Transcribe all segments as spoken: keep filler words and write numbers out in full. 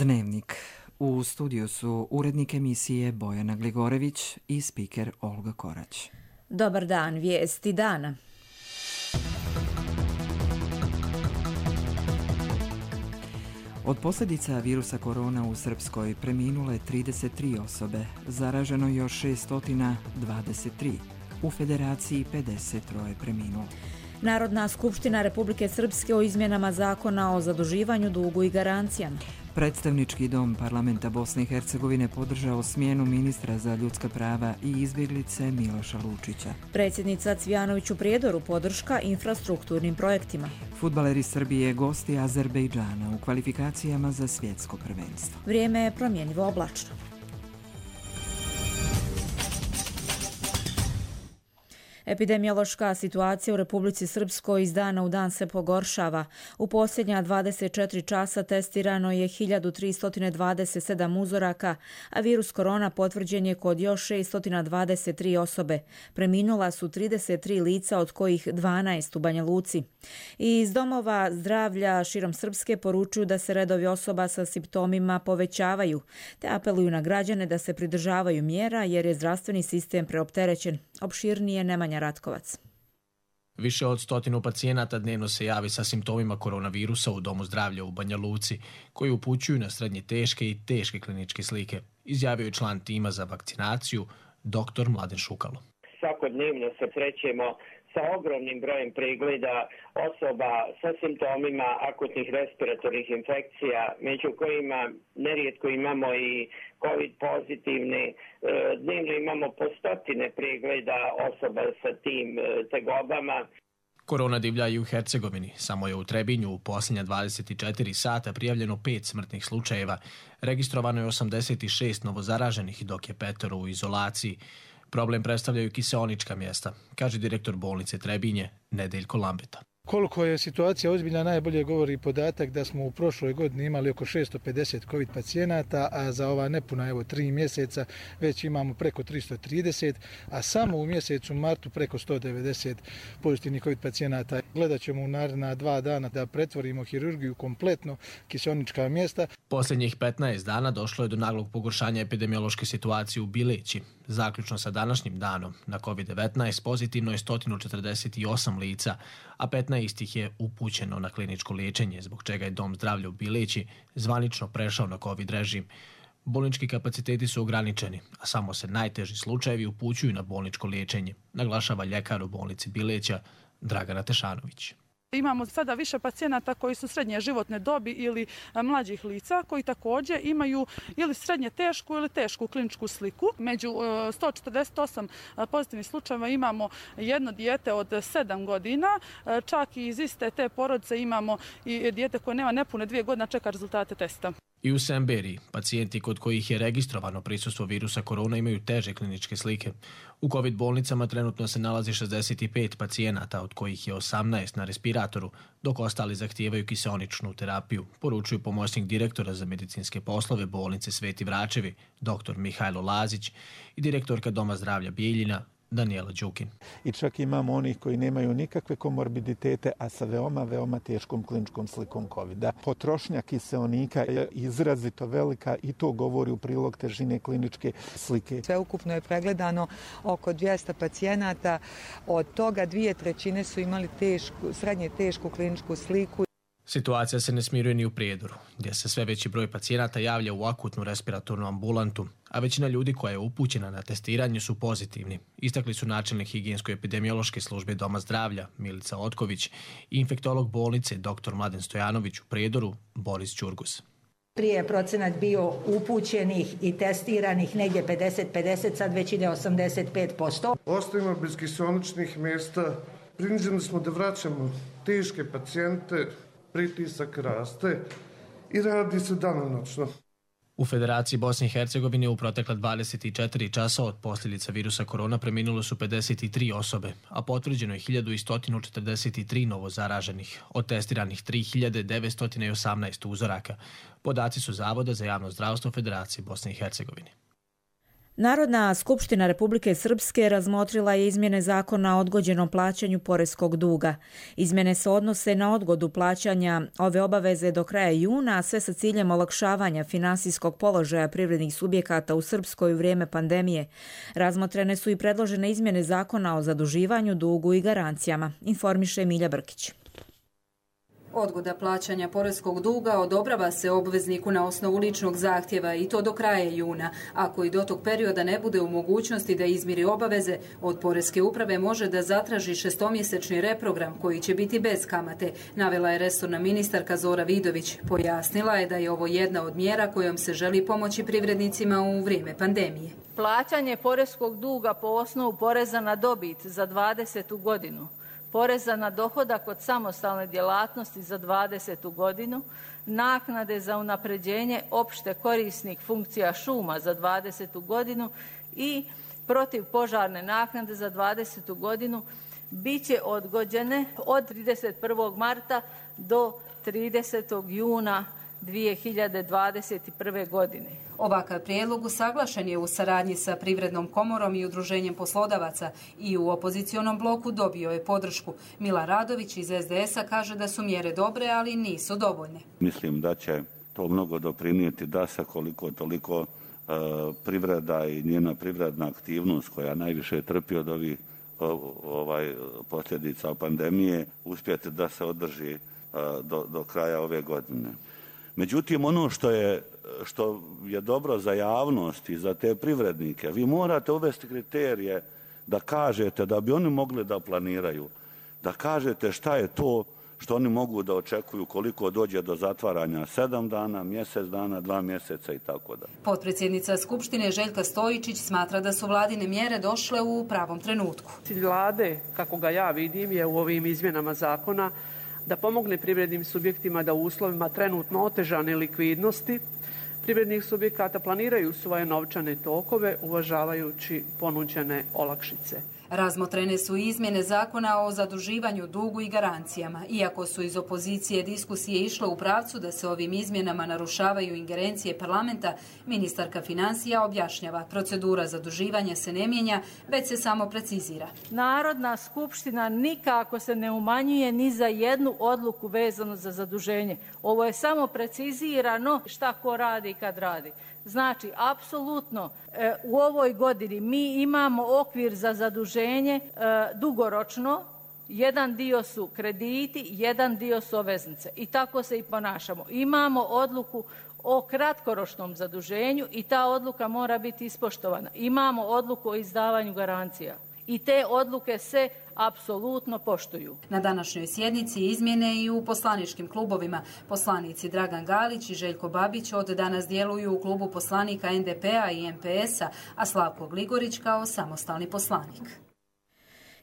Dnevnik. U studiju su urednik emisije Bojana Gligorević i spiker Olga Korać. Dobar dan, vijesti dana. Od posljedica virusa korona u Srpskoj preminule trideset tri osobe, zaraženo još šesto dvadeset tri, u Federaciji pedeset tri preminulo. Narodna skupština Republike Srpske o izmjenama zakona o zaduživanju, dugu i garancijama. Predstavnički dom parlamenta Bosne i Hercegovine podržao smjenu ministra za ljudska prava i izbjeglice Miloša Lučića. Predsjednica Cvijanović u Prijedoru podrška infrastrukturnim projektima. Fudbaleri Srbije gosti Azerbejdžana u kvalifikacijama za svjetsko prvenstvo. Vrijeme je promjenjivo oblačno. Epidemiološka situacija u Republici Srpskoj iz dana u dan se pogoršava. U posljednja dvadeset četiri časa testirano je hiljadu tristo dvadeset sedam uzoraka, a virus korona potvrđen je kod još šesto dvadeset tri osobe. Preminula su trideset tri lica, od kojih dvanaest u Banja Luci. I iz domova zdravlja širom Srpske poručuju da se redovi osoba sa simptomima povećavaju, te apeluju na građane da se pridržavaju mjera jer je zdravstveni sistem preopterećen. Opširnije Nemanja Ratkovac. Više od stotinu pacijenata dnevno se javi sa simptomima koronavirusa u Domu zdravlja u Banja Luci, koji upućuju na srednje teške i teške kliničke slike, izjavio je član tima za vakcinaciju, doktor Mladen Šukalo. Svakodnevno se srećemo sa ogromnim brojem pregleda osoba sa simptomima akutnih respiratornih infekcija, među kojima nerijetko imamo i COVID pozitivne. Dnevno imamo po stotine pregleda osoba sa tim tegobama. Korona divlja i u Hercegovini. Samo je u Trebinju u posljednja dvadeset četiri sata prijavljeno pet smrtnih slučajeva. Registrovano je osamdeset šest novozaraženih, dok je petero u izolaciji. Problem predstavljaju kiseonička mjesta, kaže direktor bolnice Trebinje, Nedeljko Lambeta. Koliko je situacija ozbiljna najbolje govori podatak da smo u prošloj godini imali oko šesto pedeset COVID pacijenata, a za ova nepuna evo tri mjeseca već imamo preko tristo trideset, a samo u mjesecu martu preko sto devedeset pozitivnih COVID pacijenata. Gledat ćemo u naredna dva dana da pretvorimo hirurgiju kompletno kiseonička mjesta. Posljednjih petnaest dana došlo je do naglog pogoršanja epidemiološke situacije u Bileći. Zaključno sa današnjim danom na COVID devetnaest pozitivno je sto četrdeset osam lica, a petnaest ih je upućeno na kliničko liječenje, zbog čega je Dom zdravlja u Bileći zvanično prešao na COVID režim. Bolnički kapaciteti su ograničeni, a samo se najteži slučajevi upućuju na bolničko liječenje, naglašava ljekar u bolnici Bileća Dragana Tešanović. Imamo sada više pacijenata koji su srednje životne dobi ili mlađih lica koji također imaju ili srednje tešku ili tešku kliničku sliku. Među sto četrdeset osam pozitivnih slučajeva imamo jedno dijete od sedam godina, čak i iz iste te porodice imamo i dijete koje nema nepune dvije godine, čeka rezultate testa. I u Semberiji, pacijenti kod kojih je registrovano prisustvo virusa korona imaju teže kliničke slike. U COVID bolnicama trenutno se nalazi šezdeset pet pacijenata, od kojih je osamnaest na respiratoru, dok ostali zahtijevaju kiseoničnu terapiju, poručuju pomoćnik direktora za medicinske poslove bolnice Sveti Vračevi, doktor Mihajlo Lazić, i direktorka Doma zdravlja Bijeljina, Danijela Đukin. I čak imamo onih koji nemaju nikakve komorbiditete, a sa veoma, veoma teškom kliničkom slikom kovida. Potrošnja kiseonika je izrazito velika i to govori u prilog težine kliničke slike. Sveukupno je pregledano oko dvjesto pacijenata, od toga dvije trećine su imali tešku, srednje tešku kliničku sliku. Situacija se ne smiruje ni u Prijedoru, gdje se sve veći broj pacijenata javlja u akutnu respiratornu ambulantu, a većina ljudi koja je upućena na testiranje su pozitivni. Istakli su načelnik higijensko-epidemiološke službe Doma zdravlja Milica Otković i infektolog bolnice doktor Mladen Stojanović u Prijedoru Boris Ćurgus. Prije je procenat bio upućenih i testiranih negdje pedeset pedeset, sad već ide osamdeset pet posto. Ostajemo bez kiseoničnih mjesta, prinuđeni smo da vraćamo teške pacijente, pritisak raste i radi se danonoćno. U Federaciji Bosne i Hercegovine u protekla dvadeset četiri časa od posljedica virusa korona preminulo su pedeset tri osobe, a potvrđeno je hiljadu sto četrdeset tri novo zaraženih, od testiranih tri hiljade devetsto osamnaest uzoraka. Podaci su Zavoda za javno zdravstvo Federacije Bosne i Hercegovine. Narodna skupština Republike Srpske razmotrila je izmjene zakona o odgođenom plaćanju poreskog duga. Izmjene se odnose na odgodu plaćanja ove obaveze do kraja juna, a sve sa ciljem olakšavanja finansijskog položaja privrednih subjekata u Srpskoj u vrijeme pandemije. Razmotrene su i predložene izmjene zakona o zaduživanju, dugu i garancijama, informiše Milja Brkić. Odgoda plaćanja poreskog duga odobrava se obvezniku na osnovu ličnog zahtjeva i to do kraja juna. Ako i do tog perioda ne bude u mogućnosti da izmiri obaveze, od Poreske uprave može da zatraži šestomjesečni reprogram koji će biti bez kamate, navela je resorna ministarka Zora Vidović. Pojasnila je da je ovo jedna od mjera kojom se želi pomoći privrednicima u vrijeme pandemije. Plaćanje poreskog duga po osnovu poreza na dobit za dvadesetu godinu, poreza na dohodak od samostalne djelatnosti za dvadesetu godinu, naknade za unapređenje opšte korisnih funkcija šuma za dvadesetu godinu i protivpožarne naknade za dvadesetu godinu bit će odgođene od trideset prvog marta do tridesetog juna dvije hiljade dvadeset prve. godine. Ovakav prijedlog usaglašen je u saradnji sa Privrednom komorom i Udruženjem poslodavaca i u opozicionom bloku dobio je podršku. Mila Radović iz es de esa kaže da su mjere dobre, ali nisu dovoljne. Mislim da će to mnogo doprinijeti da se koliko toliko uh, privreda i njena privredna aktivnost koja najviše trpi od ovih ovaj, posljedica pandemije uspjeti da se održi uh, do, do kraja ove godine. Međutim, ono što je, što je dobro za javnost i za te privrednike, vi morate uvesti kriterije da kažete da bi oni mogli da planiraju, da kažete šta je to što oni mogu da očekuju koliko dođe do zatvaranja, sedam dana, mjesec dana, dva mjeseca i tako da. Potpredsjednica Skupštine Željka Stojičić smatra da su vladine mjere došle u pravom trenutku. Cilj vlade, kako ga ja vidim, je u ovim izmjenama zakona da pomogne privrednim subjektima da u uslovima trenutno otežane likvidnosti privrednih subjekata planiraju svoje novčane tokove uvažavajući ponuđene olakšice. Razmotrene su izmjene zakona o zaduživanju, dugu i garancijama. Iako su iz opozicije diskusije išle u pravcu da se ovim izmjenama narušavaju ingerencije parlamenta, ministarka financija objašnjava, procedura zaduživanja se ne mijenja, već se samo precizira. Narodna skupština nikako se ne umanjuje ni za jednu odluku vezanu za zaduženje. Ovo je samo precizirano šta ko radi i kad radi. Znači, apsolutno e, u ovoj godini mi imamo okvir za zaduženje e, dugoročno, jedan dio su krediti, jedan dio su obveznice i tako se i ponašamo. Imamo odluku o kratkoročnom zaduženju i ta odluka mora biti ispoštovana. Imamo odluku o izdavanju garancija i te odluke se apsolutno poštuju. Na današnjoj sjednici izmjene i u poslaničkim klubovima. Poslanici Dragan Galić i Željko Babić od danas djeluju u klubu poslanika en de pe a i em pe esa, a Slavko Gligorić kao samostalni poslanik.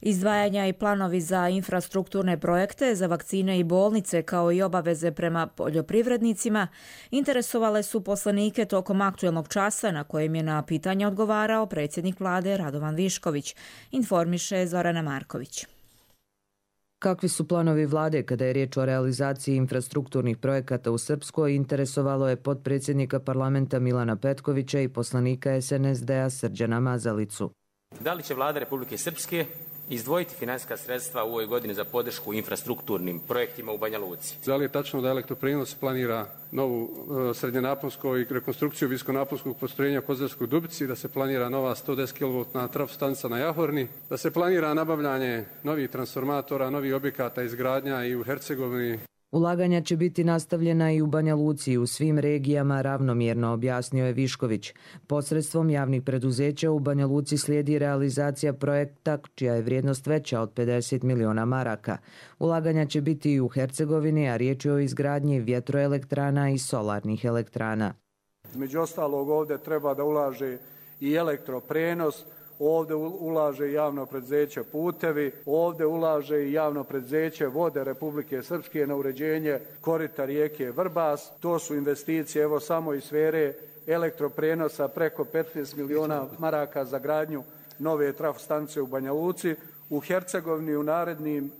Izdvajanja i planovi za infrastrukturne projekte, za vakcine i bolnice, kao i obaveze prema poljoprivrednicima, interesovale su poslanike tokom aktuelnog časa na kojem je na pitanje odgovarao predsjednik vlade Radovan Višković, informiše Zorana Marković. Kakvi su planovi vlade kada je riječ o realizaciji infrastrukturnih projekata u Srpskoj, interesovalo je potpredsjednika parlamenta Milana Petkovića i poslanika es en es de a Srđana Mazalicu. Da li će vlada Republike Srpske izdvojiti financijska sredstva u ovoj godini za podršku infrastrukturnim projektima u Banja Luci? Da li je tačno da Elektroprijenos planira novu uh, srednjenaponsko i rekonstrukciju viskonaponskog postrojenja u Kozarskoj Dubici, da se planira nova sto deset kilovoltna trafostanica na Jahorni, da se planira nabavljanje novih transformatora, novih objekata izgradnja i u Hercegovini? Ulaganja će biti nastavljena i u Banja Luci i u svim regijama ravnomjerno, objasnio je Višković. Posredstvom javnih preduzeća u Banja Luci slijedi realizacija projekta čija je vrijednost veća od pedeset miliona maraka. Ulaganja će biti i u Hercegovini, a riječ je o izgradnji vjetroelektrana i solarnih elektrana. Među ostalog ovdje treba da ulaže i elektroprenos, ovdje ulaže javno preduzeće Putevi, ovdje ulaže i javno preduzeće Vode Republike Srpske na uređenje korita rijeke Vrbas. To su investicije evo samo iz sfere elektroprenosa preko petnaest miliona maraka za gradnju nove trafostanice u Banja Luci. U Hercegovini u narednim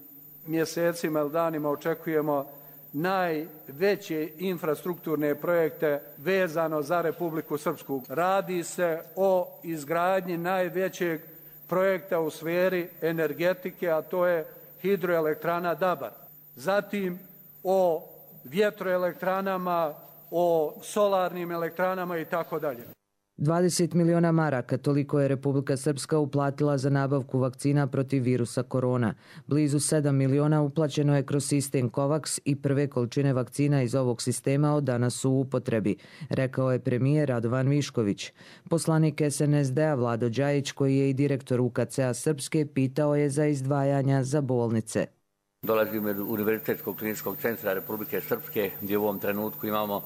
mjesecima ili danima očekujemo najveće infrastrukturne projekte vezano za Republiku Srpsku. Radi se o izgradnji najvećeg projekta u sferi energetike, a to je hidroelektrana Dabar. Zatim o vjetroelektranama, o solarnim elektranama i tako dalje. dvadeset miliona maraka, toliko je Republika Srpska uplatila za nabavku vakcina protiv virusa korona. Blizu sedam miliona uplaćeno je kroz sistem COVAX i prve količine vakcina iz ovog sistema od danas su u upotrebi, rekao je premijer Radovan Višković. Poslanik S N S D-a Vlado Đajić, koji je i direktor U K C-a Srpske, pitao je za izdvajanja za bolnice. Dolazim od Univerzitetskog kliničkog centra Republike Srpske, gdje u ovom trenutku imamo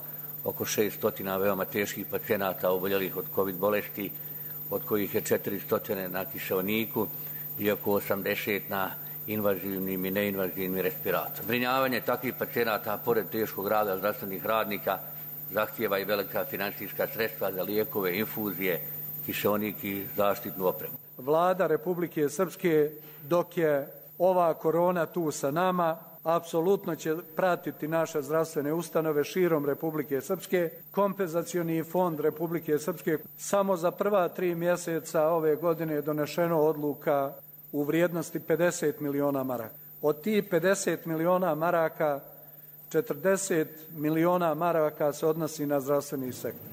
oko šesto veoma teških pacijenata oboljelih od COVID bolesti, od kojih je četiristo na kiseoniku i oko osamdeset na invazivnim i neinvazivnim respiratorima. Zbrinjavanje takvih pacijenata, pored teškog rada zdravstvenih radnika, zahtijeva i velika finansijska sredstva za lijekove, infuzije, kiseonik i zaštitnu opremu. Vlada Republike Srpske, dok je ova korona tu sa nama, apsolutno će pratiti naše zdravstvene ustanove širom Republike Srpske. Kompenzacioni fond Republike Srpske samo za prva tri mjeseca ove godine je donešeno odluka u vrijednosti pedeset miliona maraka. Od tih pedeset miliona maraka, četrdeset miliona maraka se odnosi na zdravstveni sektor.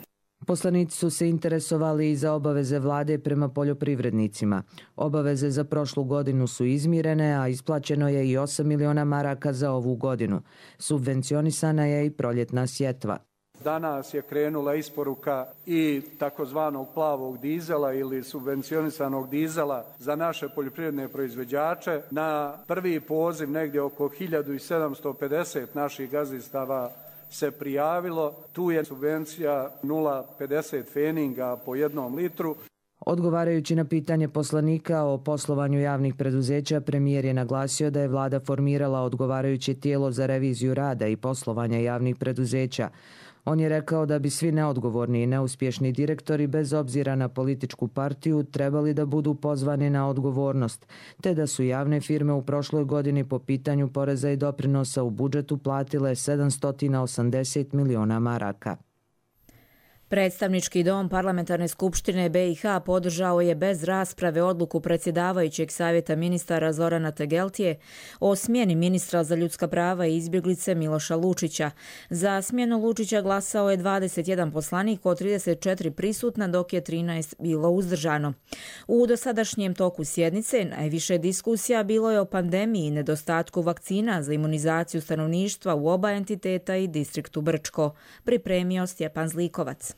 Poslanici su se interesovali i za obaveze vlade prema poljoprivrednicima. Obaveze za prošlu godinu su izmirene, a isplaćeno je i osam miliona maraka za ovu godinu. Subvencionisana je i proljetna sjetva. Danas je krenula isporuka i takozvanog plavog dizela ili subvencionisanog dizela za naše poljoprivredne proizvođače. Na prvi poziv negdje oko hiljadu sedamsto pedeset naših gazdinstava se prijavilo. Tu je subvencija nula zarez pedeset feninga po jednom litru. Odgovarajući na pitanje poslanika o poslovanju javnih preduzeća, premijer je naglasio da je vlada formirala odgovarajuće tijelo za reviziju rada i poslovanja javnih preduzeća. On je rekao da bi svi neodgovorni i neuspješni direktori, bez obzira na političku partiju, trebali da budu pozvani na odgovornost, te da su javne firme u prošloj godini po pitanju poreza i doprinosa u budžetu platile sedamsto osamdeset miliona maraka. Predstavnički dom Parlamentarne skupštine B i H podržao je bez rasprave odluku predsjedavajućeg savjeta ministara Zorana Tegeltije o smjeni ministra za ljudska prava i izbjeglice Miloša Lučića. Za smjenu Lučića glasao je dvadeset jedan poslanik od trideset četiri prisutna, dok je trinaest bilo uzdržano. U dosadašnjem toku sjednice najviše diskusija bilo je o pandemiji i nedostatku vakcina za imunizaciju stanovništva u oba entiteta i distriktu Brčko, pripremio Stjepan Zlikovac.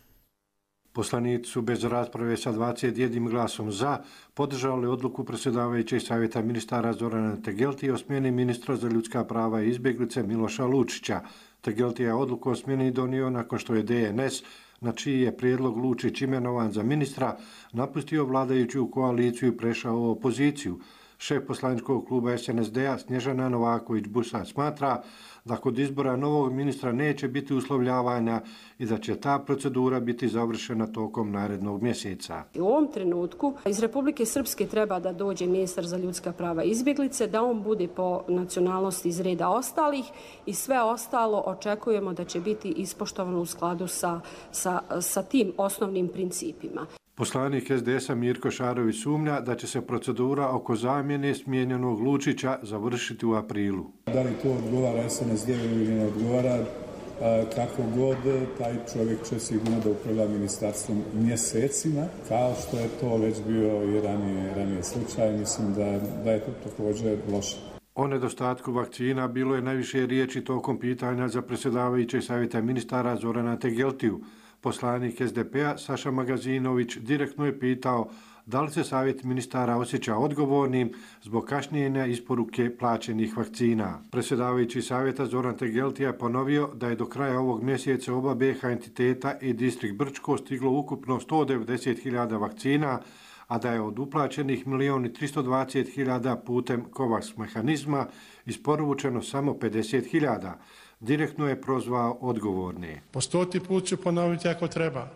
Poslanici su bez rasprave sa dvadeset jednim glasom za podržali odluku predsjedavajućeg savjeta ministara Zorana Tegeltije o smjeni ministra za ljudska prava i izbjeglice Miloša Lučića. Tegeltije je odluku o smjeni donio nakon što je D N S, na čiji je prijedlog Lučić imenovan za ministra, napustio vladajuću koaliciju i prešao u opoziciju. Šef poslaničkog kluba S N S D-a Snježana Novaković-Busa smatra da kod izbora novog ministra neće biti uslovljavanja i da će ta procedura biti završena tokom narednog mjeseca. U ovom trenutku iz Republike Srpske treba da dođe ministar za ljudska prava i izbjeglice, da on bude po nacionalnosti iz reda ostalih i sve ostalo očekujemo da će biti ispoštovano u skladu sa, sa, sa tim osnovnim principima. Poslanik S D S-a Mirko Šarović sumnja da će se procedura oko zamjene smijenjenog Lučića završiti u aprilu. Da li to odgovara S N S D ili ne odgovara, kako god, taj čovjek će sigurno da upravlja ministarstvom mjesecima, kao što je to već bio i ranije, ranije slučaj. Mislim da, da je to također loše. O nedostatku vakcina bilo je najviše riječi tokom pitanja za predsjedavajućeg savjeta ministara Zorana Tegeltiju. Poslanik S D P-a Saša Magazinović direktno je pitao da li se savjet ministara osjeća odgovornim zbog kašnjenja isporuke plaćenih vakcina. Predsjedavajući savjeta Zoran Tegeltija je ponovio da je do kraja ovog mjeseca oba B i H entiteta i distrikt Brčko stiglo ukupno sto devedeset hiljada vakcina, a da je od uplaćenih milion i tristo dvadeset hiljada putem COVAX mehanizma isporučeno samo pedeset hiljada. Direktno je prozvao odgovorne. Po stoti put ću ponoviti ako treba.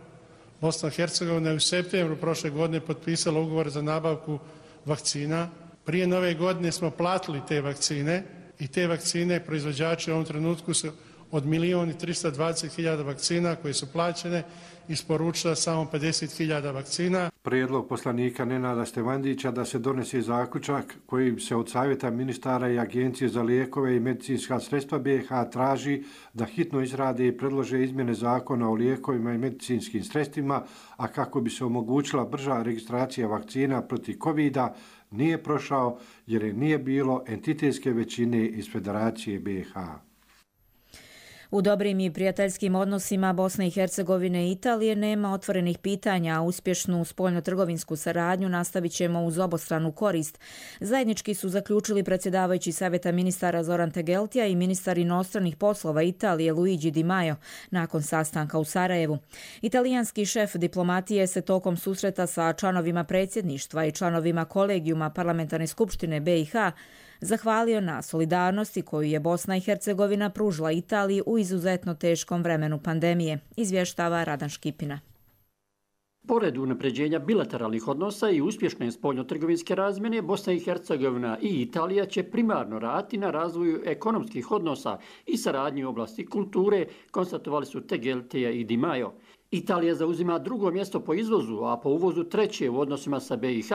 Bosna i Hercegovina je u septembru prošle godine potpisala ugovor za nabavku vakcina. Prije nove godine smo platili te vakcine i te vakcine proizvođači u ovom trenutku su od milijun i tristo dvadeset hiljada vakcina koje su plaćene isporučila samo pedeset hiljada vakcina. Prijedlog poslanika Nenada Stevandića da se donese zaključak kojim se od Savjeta ministara i Agencije za lijekove i medicinska sredstva B iH traži da hitno izrade i predlože izmjene zakona o lijekovima i medicinskim sredstvima, a kako bi se omogućila brža registracija vakcina protiv kovida, nije prošao jer je nije bilo entitetske većine iz Federacije B iH. U dobrim i prijateljskim odnosima Bosne i Hercegovine i Italije nema otvorenih pitanja, a uspješnu spoljno-trgovinsku saradnju nastavit ćemo uz obostranu korist. Zajednički su zaključili predsjedavajući Savjeta ministara Zoran Tegeltija i ministar inostranih poslova Italije Luigi Di Maio nakon sastanka u Sarajevu. Italijanski šef diplomatije se tokom susreta sa članovima predsjedništva i članovima kolegijuma Parlamentarne skupštine B iH zahvalio na solidarnosti koju je Bosna i Hercegovina pružila Italiji u izuzetno teškom vremenu pandemije, izvještava Radan Škipina. Pored unapređenja bilateralnih odnosa i uspješne spoljno-trgovinske razmjene, Bosna i Hercegovina i Italija će primarno raditi na razvoju ekonomskih odnosa i saradnji u oblasti kulture, konstatovali su Tegeltija i Di Maio. Italija zauzima drugo mjesto po izvozu, a po uvozu treće u odnosima sa B iH.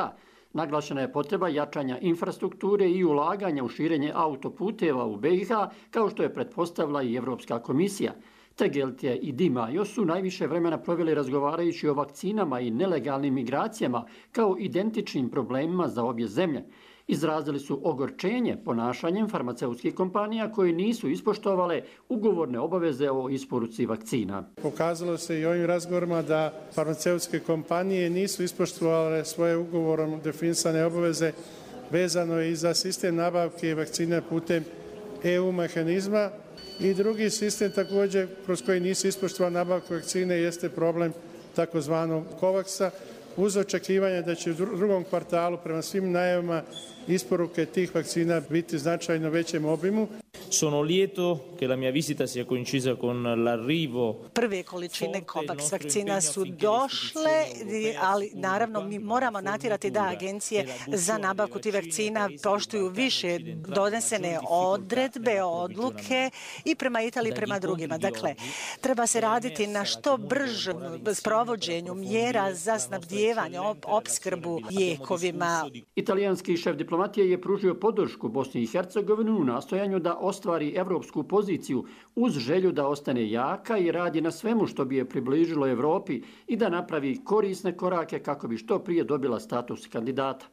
Naglašena je potreba jačanja infrastrukture i ulaganja u širenje autoputeva u B iH, kao što je pretpostavila i Evropska komisija. Tegeltija i Di Maio su najviše vremena proveli razgovarajući o vakcinama i nelegalnim migracijama kao identičnim problemima za obje zemlje. Izrazili su ogorčenje ponašanjem farmaceutskih kompanija koje nisu ispoštovale ugovorne obaveze o isporuci vakcina. Pokazalo se i ovim razgovorima da farmaceutske kompanije nisu ispoštovale svoje ugovorom definisane obaveze vezano i za sistem nabavke vakcina putem E U mehanizma. I drugi sistem također kroz koji nisu ispoštovane nabavke vakcine jeste problem takozvanog Covaxa, uz očekivanje da će u drugom kvartalu prema svim najavama isporuke tih vakcina biti značajno većem obimu. Sono lieto che la mia visita sia coincisa con l'arrivo. Prve količine Covax vakcina su došle, ali naravno mi moramo natjerati da agencije za nabavku tih vakcina poštuju više donesene odredbe, odluke i prema Italiji, prema drugima. Dakle, treba se raditi na što bržem sprovođenju mjera za snabdijevanje, opskrbu lijekovima. Italijanski šef diplomatije je pružio podršku Bosni i Hercegovini u nastojanju da ostvari evropsku poziciju uz želju da ostane jaka i radi na svemu što bi je približilo Evropi i da napravi korisne korake kako bi što prije dobila status kandidata.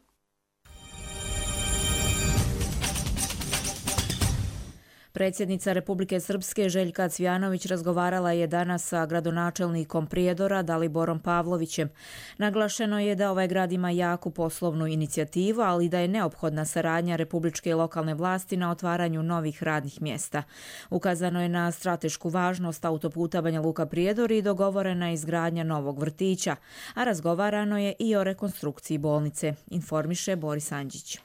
Predsjednica Republike Srpske Željka Cvjanović razgovarala je danas sa gradonačelnikom Prijedora Daliborom Pavlovićem. Naglašeno je da ovaj grad ima jaku poslovnu inicijativu, ali da je neophodna saradnja republičke i lokalne vlasti na otvaranju novih radnih mjesta. Ukazano je na stratešku važnost autoputa Banja Luka Prijedor i dogovorena izgradnja novog vrtića, a razgovarano je i o rekonstrukciji bolnice, informiše Boris Anđić.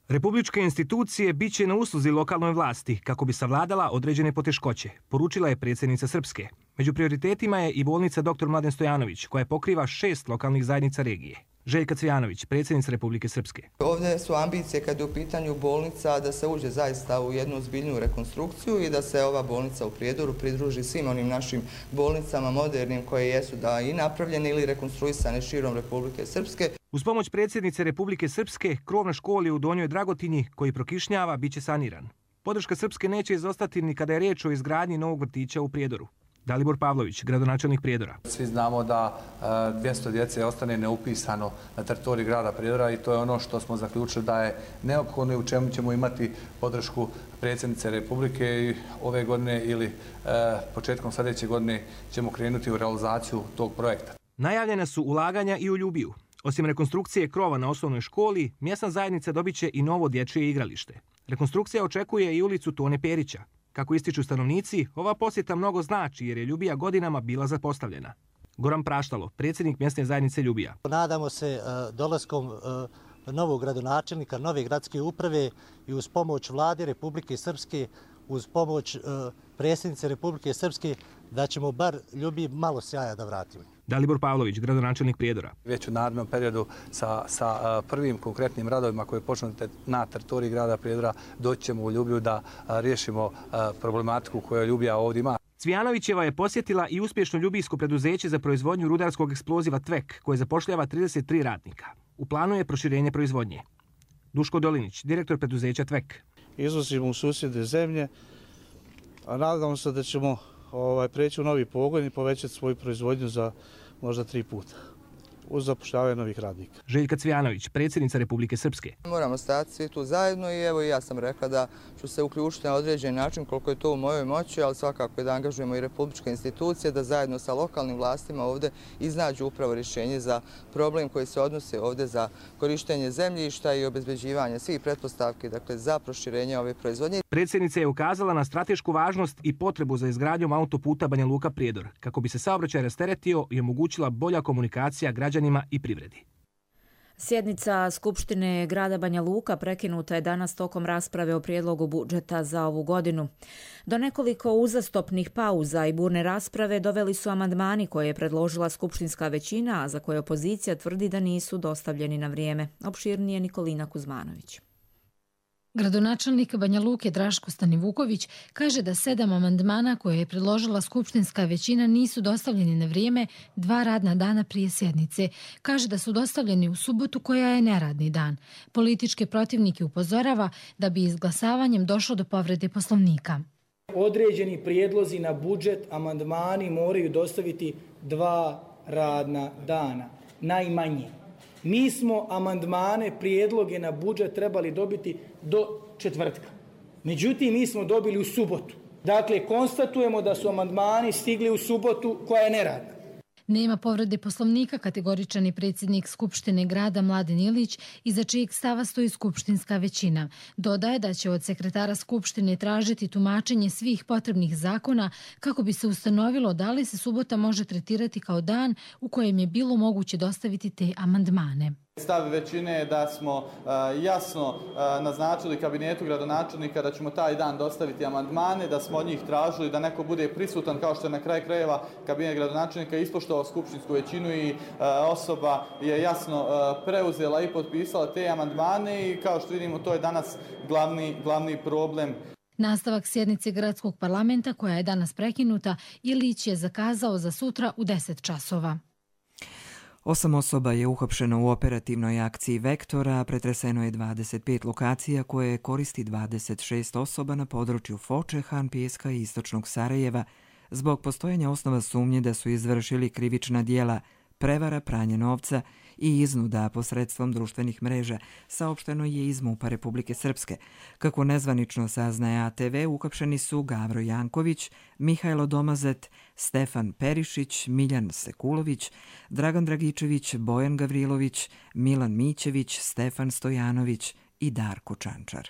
Republičke institucije bit će na usluzi lokalnoj vlasti kako bi savladala određene poteškoće, poručila je predsjednica Srpske. Među prioritetima je i bolnica doktor Mladen Stojanović, koja pokriva šest lokalnih zajednica regije. Željka Cvjanović, predsjednica Republike Srpske. Ovdje su ambicije kad je u pitanju bolnica da se uđe zaista u jednu zbiljnu rekonstrukciju i da se ova bolnica u Prijedoru pridruži svim onim našim bolnicama modernim koje jesu da i napravljene ili rekonstruisane širom Republike Srpske. Uz pomoć predsjednice Republike Srpske, krov na školi u Donjoj Dragotinji, koji prokišnjava, bit će saniran. Podrška Srpske neće izostati ni kada je riječ o izgradnji novog vrtića u Prijedoru. Dalibor Pavlović, gradonačelnik Prijedora. Svi znamo da dvjesto djece ostane neupisano na teritoriji grada Prijedora i to je ono što smo zaključili da je neophodno i u čemu ćemo imati podršku predsjednice Republike i ove godine ili početkom sljedeće godine ćemo krenuti u realizaciju tog projekta. Najavljena su ulaganja i u Ljubiju. Osim rekonstrukcije krova na osnovnoj školi, mjesna zajednica dobit će i novo dječje igralište. Rekonstrukcija očekuje i ulicu Tone Perića. Kako ističu stanovnici, ova posjeta mnogo znači jer je Ljubija godinama bila zapostavljena. Goran Praštalo, predsjednik mjesne zajednice Ljubija. Nadamo se dolaskom novog gradonačelnika, nove gradske uprave i uz pomoć vlade Republike Srpske, uz pomoć predsjednice Republike Srpske, da ćemo bar Ljubiji malo sjaja da vratimo. Dalibor Pavlović, gradonačelnik Prijedora. Već u narednom periodu sa, sa prvim konkretnim radovima koji počnu na teritoriji grada Prijedora doći ćemo u Ljublju da riješimo problematiku koju Ljubija ovdje ima. Cvijanovićeva je posjetila i uspješno ljubijsko preduzeće za proizvodnju rudarskog eksploziva Tvek, koje zapošljava trideset tri radnika. U planu je proširenje proizvodnje. Duško Dolinić, direktor preduzeća Tvek. Izvozimo u susjedne zemlje, a nadamo se da ćemo ovaj, preći u novi pogon i povećati svoju proizvodnju za možda tri puta uz zapošljavanje novih radnika. Željka Cvijanović, predsjednica Republike Srpske. Moramo stajati svi tu zajedno i evo i ja sam rekla da ću se uključiti na određen način koliko je to u mojoj moći, ali svakako je da angažujemo i republičke institucije da zajedno sa lokalnim vlastima ovdje iznađu upravo rješenje za problem koji se odnosi ovdje za korištenje zemljišta i obezbeđivanje svih pretpostavki, dakle za proširenje ove proizvodnje. Predsjednica je ukazala na stratešku važnost i potrebu za izgradnjom autoputa Banja Luka-Prijedor, kako bi se saobraćaj rasteretio i omogućila bolja komunikacija građanima i privredi. Sjednica Skupštine grada Banja Luka prekinuta je danas tokom rasprave o prijedlogu budžeta za ovu godinu. Do nekoliko uzastopnih pauza i burne rasprave doveli su amandmani koje je predložila skupštinska većina, a za koje opozicija tvrdi da nisu dostavljeni na vrijeme. Opširnije Nikolina Kuzmanović. Gradonačelnik Banja Luke Draško Stanivuković kaže da sedam amandmana koje je predložila skupštinska većina nisu dostavljeni na vrijeme dva radna dana prije sjednice. Kaže da su dostavljeni u subotu koja je neradni dan. Političke protivnike upozorava da bi izglasavanjem došlo do povrede Poslovnika. Određeni prijedlozi na budžet, amandmani moraju dostaviti dva radna dana, najmanje. Mi smo amandmane, prijedloge na budžet trebali dobiti do četvrtka. Međutim, mi smo dobili u subotu. Dakle, konstatujemo da su amandmani stigli u subotu koja je neradna. Nema povrede Poslovnika, kategoričan je predsjednik Skupštine grada Mladen Ilić, iza čijeg stava stoji skupštinska većina. Dodaje da će od sekretara Skupštine tražiti tumačenje svih potrebnih zakona kako bi se ustanovilo da li se subota može tretirati kao dan u kojem je bilo moguće dostaviti te amandmane. Stav većine je da smo uh, jasno uh, naznačili kabinetu gradonačelnika da ćemo taj dan dostaviti amandmane, da smo od njih tražili da neko bude prisutan, kao što je na kraju krajeva kabinet gradonačelnika ispoštovao skupštinsku većinu i uh, osoba je jasno uh, preuzela i potpisala te amandmane i kao što vidimo to je danas glavni, glavni problem. Nastavak sjednice gradskog parlamenta koja je danas prekinuta, Ilić je zakazao za sutra u deset časova. Osam osoba je uhapšeno u operativnoj akciji Vektora, pretreseno je dvadeset pet lokacija koje koristi dvadeset šest osoba na području Foče, Han Pijeska i istočnog Sarajeva zbog postojanja osnova sumnje da su izvršili krivična dijela prevara, pranje novca i iznuda posredstvom društvenih mreža, saopšteno je iz MUP-a Republike Srpske. Kako nezvanično saznaje A T V, uhapšeni su Gavro Janković, Mihajlo Domazet, Stefan Perišić, Miljan Sekulović, Dragan Dragičević, Bojan Gavrilović, Milan Mićević, Stefan Stojanović i Darko Čančar.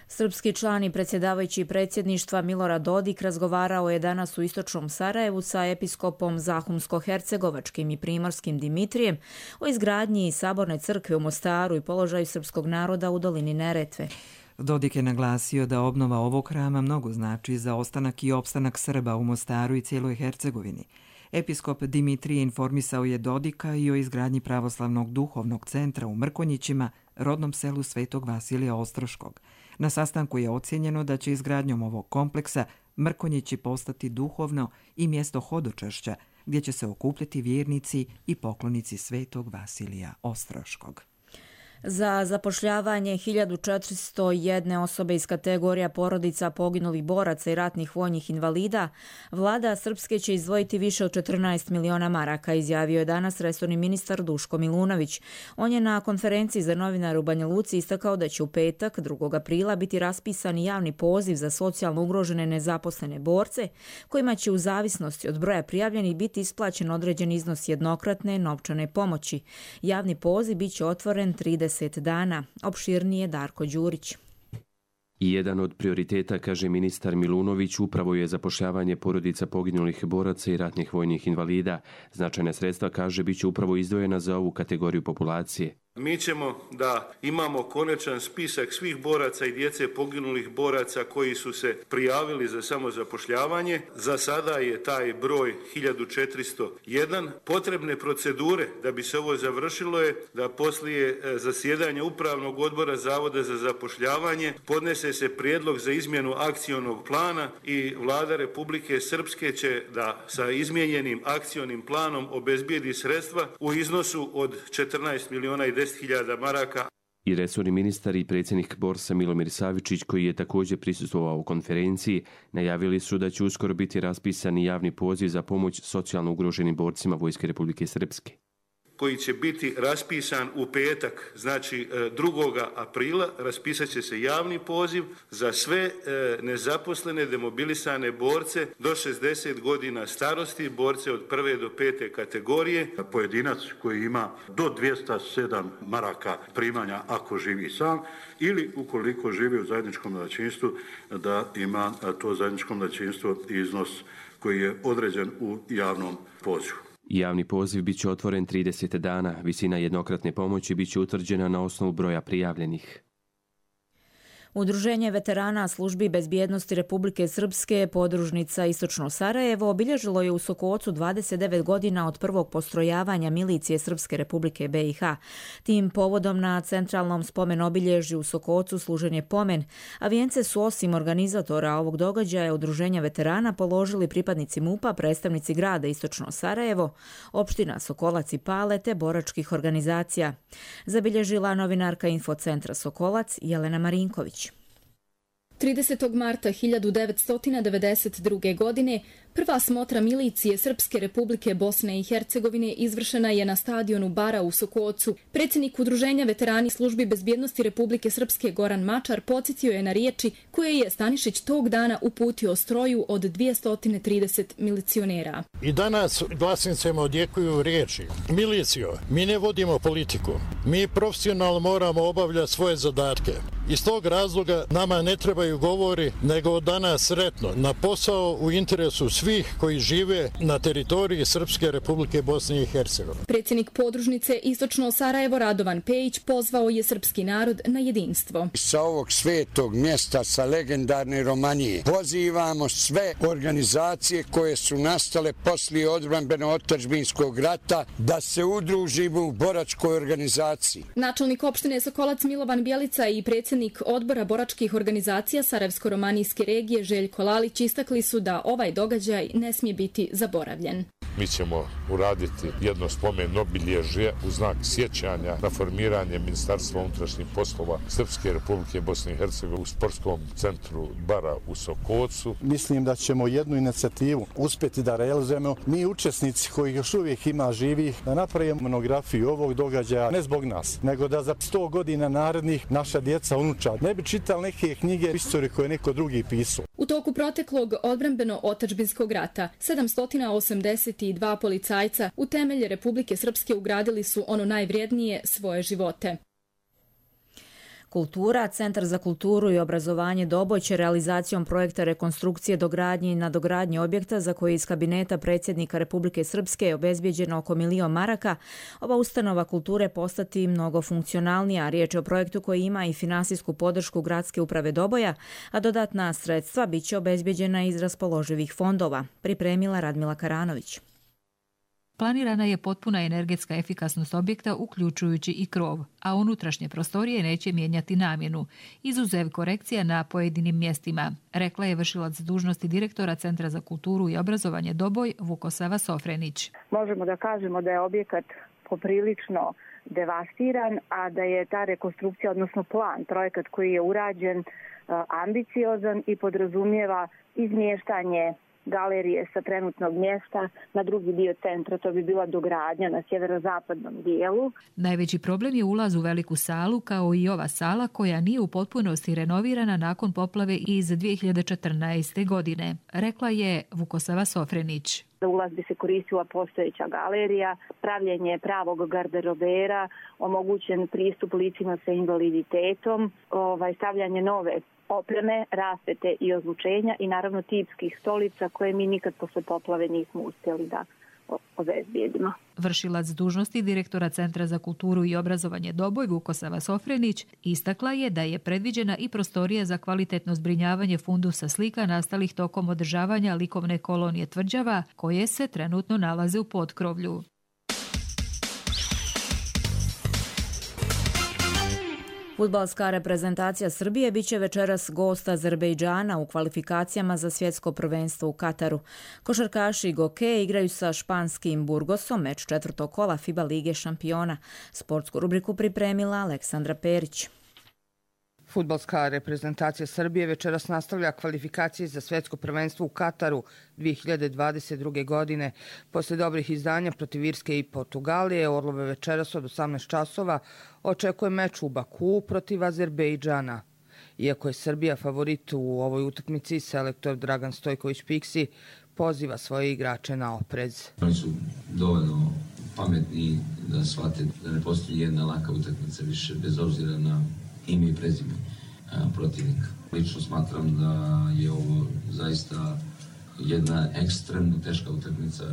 Srpski član i predsjedavajući predsjedništva Milorad Dodik razgovarao je danas u istočnom Sarajevu sa episkopom Zahumsko-hercegovačkim i primorskim Dimitrijem o izgradnji saborne crkve u Mostaru i položaju srpskog naroda u dolini Neretve. Dodik je naglasio da obnova ovog hrama mnogo znači za ostanak i opstanak Srba u Mostaru i cijeloj Hercegovini. Episkop Dimitrije informisao je Dodika i o izgradnji pravoslavnog duhovnog centra u Mrkonjićima, rodnom selu Svetog Vasilija Ostroškog. Na sastanku je ocjenjeno da će izgradnjom ovog kompleksa Mrkonjići postati duhovno i mjesto hodočašća, gdje će se okupljati vjernici i poklonici Svetog Vasilija Ostroškog. Za zapošljavanje hiljadu četiristo jedne osobe iz kategorija porodica poginulih boraca i ratnih vojnih invalida, vlada Srpske će izdvojiti više od četrnaest miliona maraka, izjavio je danas resorni ministar Duško Milunović. On je na konferenciji za novinare u Banja Luci istakao da će u petak, drugog aprila, biti raspisan javni poziv za socijalno ugrožene nezaposlene borce, kojima će u zavisnosti od broja prijavljenih biti isplaćen određen iznos jednokratne novčane pomoći. Javni poziv biće otvoren trideset dana. Opširnije Darko Đurić. I jedan od prioriteta, kaže ministar Milunović, upravo je zapošljavanje porodica poginulih boraca i ratnih vojnih invalida. Značajna sredstva, kaže, bit će upravo izdvojena za ovu kategoriju populacije. Mi ćemo da imamo konačan spisak svih boraca i djece poginulih boraca koji su se prijavili za samozapošljavanje. Za sada je taj broj hiljadu četiristo jedan. Potrebne procedure da bi se ovo završilo je da poslije zasjedanja Upravnog odbora Zavoda za zapošljavanje podnese se prijedlog za izmjenu akcionog plana i Vlada Republike Srpske će da sa izmijenjenim akcionim planom obezbijedi sredstva u iznosu od četrnaest milijuna i deset hiljada maraka. I resorni ministar i predsjednik Borsa Milomir Savičić, koji je također prisustvovao u konferenciji, najavili su da će uskoro biti raspisani javni poziv za pomoć socijalno ugroženim borcima Vojske Republike Srpske, koji će biti raspisan u petak, znači drugog aprila, raspisat će se javni poziv za sve nezaposlene demobilisane borce do šezdeset godina starosti, borce od prve do pete kategorije. Pojedinac koji ima do dvjesto sedam maraka primanja ako živi sam ili ukoliko živi u zajedničkom domaćinstvu da ima to zajedničko domaćinstvo iznos koji je određen u javnom pozivu. Javni poziv bit će otvoren trideset dana. Visina jednokratne pomoći bit će utvrđena na osnovu broja prijavljenih. Udruženje veterana službi bezbjednosti Republike Srpske, podružnica Istočno Sarajevo, obilježilo je u Sokocu dvadeset devet godina od prvog postrojavanja milicije Srpske Republike B i H. Tim povodom na centralnom spomen obilježju u Sokocu služen je pomen, a vijence su osim organizatora ovog događaja Udruženja veterana položili pripadnici MUP-a, predstavnici grada Istočno Sarajevo, opština Sokolac i Pale te boračkih organizacija. Zabilježila novinarka Infocentra Sokolac Jelena Marinković. tridesetog marta hiljadu devetsto devedeset druge. godine prva smotra milicije Srpske Republike Bosne i Hercegovine izvršena je na stadionu Bara u Sokocu. Predsjednik Udruženja veterani službi bezbjednosti Republike Srpske Goran Mačar podsjetio je na riječi koje je Stanišić tog dana uputio stroju od dvjesto trideset milicionera. I danas glasnicama odjekuju riječi: milicijo, mi ne vodimo politiku, mi profesionalno moramo obavljati svoje zadatke. Iz tog razloga nama ne trebaju govori, nego od danas sretno na posao u interesu svih koji žive na teritoriji Srpske Republike Bosne i Hercegovine. Predsjednik podružnice Istočno Sarajevo Radovan Pejić pozvao je srpski narod na jedinstvo. Sa ovog svetog mjesta, sa legendarne Romanije, pozivamo sve organizacije koje su nastale poslije odbrambeno-otadžbinskog rata da se udružimo u boračkoj organizaciji. Načelnik opštine Sokolac Milovan Bjelica i predsjednik odbora boračkih organizacija Sarajevsko-romanijske regije Željko Lalić istakli su da ovaj događaj ne smije biti zaboravljen. Mi ćemo uraditi jedno spomen obilježje u znak sjećanja na formiranje Ministarstva unutrašnjih poslova Srpske Republike Bosne i Hercegovine u sportskom centru Bara u Sokocu. Mislim da ćemo jednu inicijativu uspjeti da realizujemo. Mi učesnici koji još uvijek ima živih, da napravimo monografiju ovog događaja ne zbog nas, nego da za sto godina narednih naša djeca, unučad ne bi čitali neke knjige istorije koje neko drugi pisao. U toku proteklog odbrambeno-otadžbinskog rata sedamsto osamdeset dva policajca u temelje Republike Srpske ugradili su ono najvrijednije, svoje živote. Kultura, Centar za kulturu i obrazovanje Doboj će realizacijom projekta rekonstrukcije, dogradnje i nadogradnje objekta za koji iz kabineta predsjednika Republike Srpske je obezbijeđeno oko milion maraka, ova ustanova kulture postati mnogo funkcionalnija. Riječ je o projektu koji ima i finansijsku podršku Gradske uprave Doboja, a dodatna sredstva bit će obezbijeđena iz raspoloživih fondova, pripremila Radmila Karanović. Planirana je potpuna energetska efikasnost objekta, uključujući i krov, a unutrašnje prostorije neće mijenjati namjenu, izuzev korekcija na pojedinim mjestima, rekla je vršilac dužnosti direktora Centra za kulturu i obrazovanje Doboj Vukosava Sofrenić. Možemo da kažemo da je objekat poprilično devastiran, a da je ta rekonstrukcija, odnosno plan, projekat koji je urađen, ambiciozan i podrazumijeva izmještanje galerije sa trenutnog mjesta na drugi dio centra, to bi bila dogradnja na sjeverozapadnom dijelu. Najveći problem je ulaz u veliku salu, kao i ova sala koja nije u potpunosti renovirana nakon poplave iz dvije hiljade četrnaeste. godine, rekla je Vukosava Sofrenić. Za ulaz bi se koristila postojeća galerija, pravljenje pravog garderobera, omogućen pristup licima sa invaliditetom, ovaj, stavljanje nove opreme, rasvete i ozvučenja i naravno tipskih stolica koje mi nikad posle poplave nismo uspjeli da obezbijedimo. Vršilac dužnosti direktora Centra za kulturu i obrazovanje Doboj Vukosava Sofrenić istakla je da je predviđena i prostorija za kvalitetno zbrinjavanje fundusa slika nastalih tokom održavanja likovne kolonije Tvrđava, koje se trenutno nalaze u potkrovlju. Fudbalska reprezentacija Srbije biće večeras gost Azerbejdžana u kvalifikacijama za svjetsko prvenstvo u Kataru. Košarkaši Goke igraju sa španskim Burgosom, meč četvrtog kola FIBA Lige šampiona. Sportsku rubriku pripremila Aleksandra Perić. Fudbalska reprezentacija Srbije večeras nastavlja kvalifikacije za svjetsko prvenstvo u Kataru dvije hiljade dvadeset druge. godine. Posle dobrih izdanja protiv Irske i Portugalije, Orlove večeras od osamnaest časova očekuje meč u Bakuu protiv Azerbejdžana. Iako je Srbija favorit u ovoj utakmici, selektor Dragan Stojković-Piksi poziva svoje igrače na oprez. Oni su dovoljno pametni da shvate da ne postoji jedna laka utakmica više, bez obzira na ime i prezime protivnika. Lično smatram da je ovo zaista jedna ekstremno teška utakmica,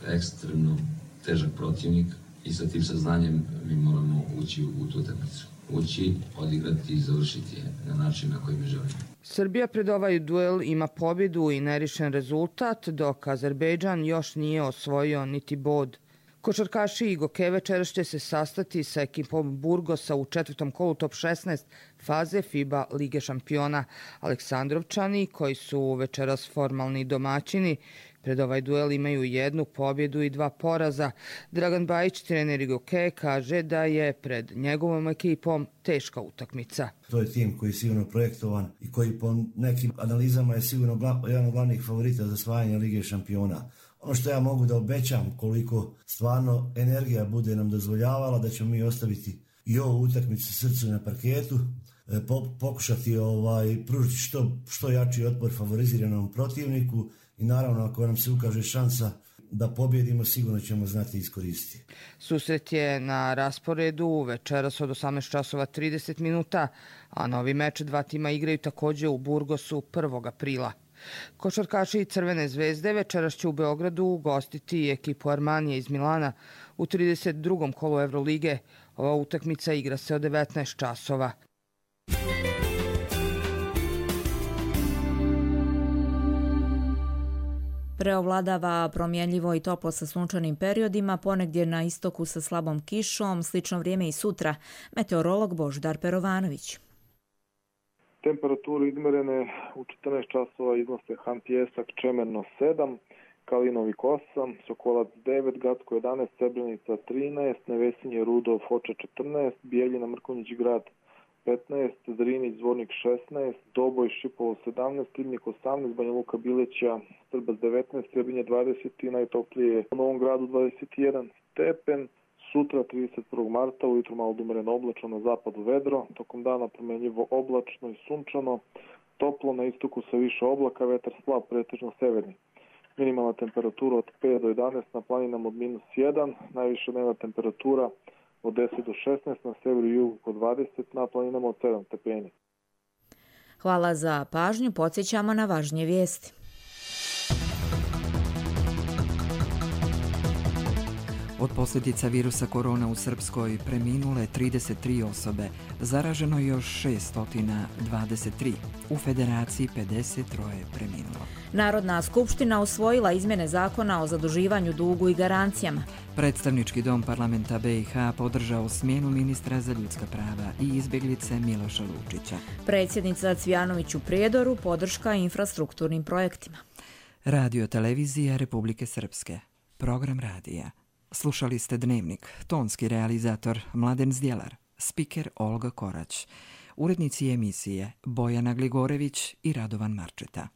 ekstremno težak protivnik i sa tim saznanjem mi moramo ući u tu utakmicu. Ući, odigrati i završiti je na način na koji mi želimo. Srbija pred ovaj duel ima pobjedu i nerišen rezultat, dok Azerbejdžan još nije osvojio niti bod. Košarkaši i Goke večeras će se sastati sa ekipom Burgosa u četvrtom kolu top šesnaest faze FIBA Lige šampiona. Aleksandrovčani, koji su večeras formalni domaćini, pred ovaj duel imaju jednu pobjedu i dva poraza. Dragan Bajić, trener Goke, kaže da je pred njegovom ekipom teška utakmica. To je tim koji je sigurno projektovan i koji po nekim analizama je sigurno jedan od glavnih favorita za osvajanje Lige šampiona. Ono što ja mogu da obećam, koliko stvarno energija bude nam dozvoljavala, da ćemo mi ostaviti i ovu utakmicu srcu na parketu, pokušati ovaj, pružiti što, što jači otpor favoriziranom protivniku i naravno ako nam se ukaže šansa da pobjedimo, sigurno ćemo znati iskoristiti. Susret je na rasporedu večeras od osamnaest časova trideset minuta, a novi meč dva tima igraju također u Burgosu prvog aprila. Košarkaši Crvene zvezde večeras će u Beogradu ugostiti ekipu Armanije iz Milana u trideset drugom kolu Evrolige. Ova utakmica igra se od devetnaest časova. Preovladava promjenljivo i toplo sa sunčanim periodima, ponegdje na istoku sa slabom kišom, slično vrijeme i sutra. Meteorolog Božidar Perovanović. Temperature izmerene u četrnaest časova iznose Han Pijesak, Čemerno sedam, Kalinovik osam, Sokolac devet, Gacko jedanaest, Srebrenica trinaest, Nevesinje, Rudov, Foča četrnaest, Bijeljina, Mrkonjić Grad petnaest, Zrinić, Zvornik šesnaest, Doboj, Šipovo sedamnaest, Ribnik osamnaest, Banja Luka, Bileća, Strbac devetnaest, Trebinje dvadeset i najtoplije u Novom Gradu dvadeset jedan stepen. Sutra, trideset prvog marta, ujutru malo umereno oblačno, na zapadu vedro, tokom dana promenljivo oblačno i sunčano, toplo na istoku sa više oblaka, vetar slab, pretežno severni. Minimalna temperatura od pet do jedanaest, na planinama od minus jedan, najviša dnevna temperatura od deset do šesnaest, na severu i jugu od dvadeset, na planinama od sedam stepeni. Hvala za pažnju, podsjećamo na važnije vijesti. Od posljedica virusa korona u Srpskoj preminule trideset tri osobe, zaraženo još šesto dvadeset tri. U Federaciji pedeset tri preminulo. Narodna skupština usvojila izmjene zakona o zaduživanju, dugu i garancijama. Predstavnički dom parlamenta B i H podržao smjenu ministra za ljudska prava i izbjeglice Miloša Lučića. Predsjednica Cvijanović u Prijedoru podrška infrastrukturnim projektima. Radio televizija Republike Srpske. Program radija. Slušali ste Dnevnik, tonski realizator Mladen Zdjelar, spiker Olga Korać, urednici emisije Bojana Gligorević i Radovan Marčeta.